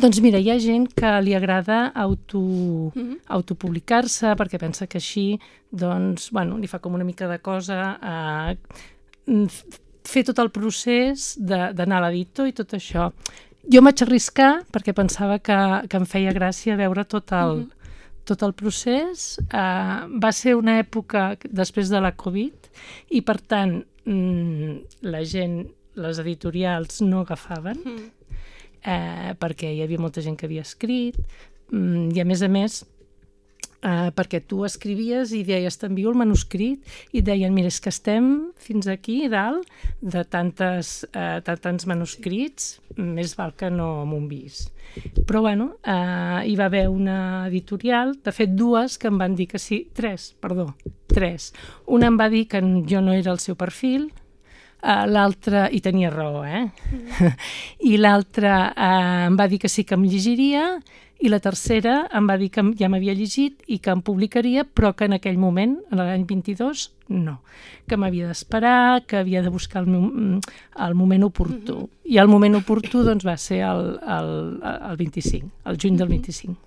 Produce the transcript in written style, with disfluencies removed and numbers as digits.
Doncs mira, hi ha gent que li agrada autopublicar-se perquè pensa que així, doncs, bueno, li fa com una mica de cosa fer tot el procés d'anar a l'editor i tot això. Jo em vaig arriscar perquè pensava que em feia gràcia veure tot el procés. Va ser una època després de la Covid i, per tant, la gent, les editorials no agafaven perquè hi havia molta gent que havia escrit i, a més, perquè tu escrivies i deies t'envio el manuscrit i et deien mira, és que estem fins aquí dalt de tants manuscrits, més val que no m'ho enviïs. Però bueno, hi va haver una editorial, de fet dues, que em van dir que sí, tres. Una em va dir que jo no era el seu perfil, l'altra, i tenia raó, i l'altra em va dir que sí que em llegiria, i la tercera em va dir que ja m'havia llegit i que em publicaria, però que en aquell moment, en l'any 22, no. Que m'havia d'esperar, que havia de buscar el moment oportú. I el moment oportú doncs, va ser el 25, el juny del 25.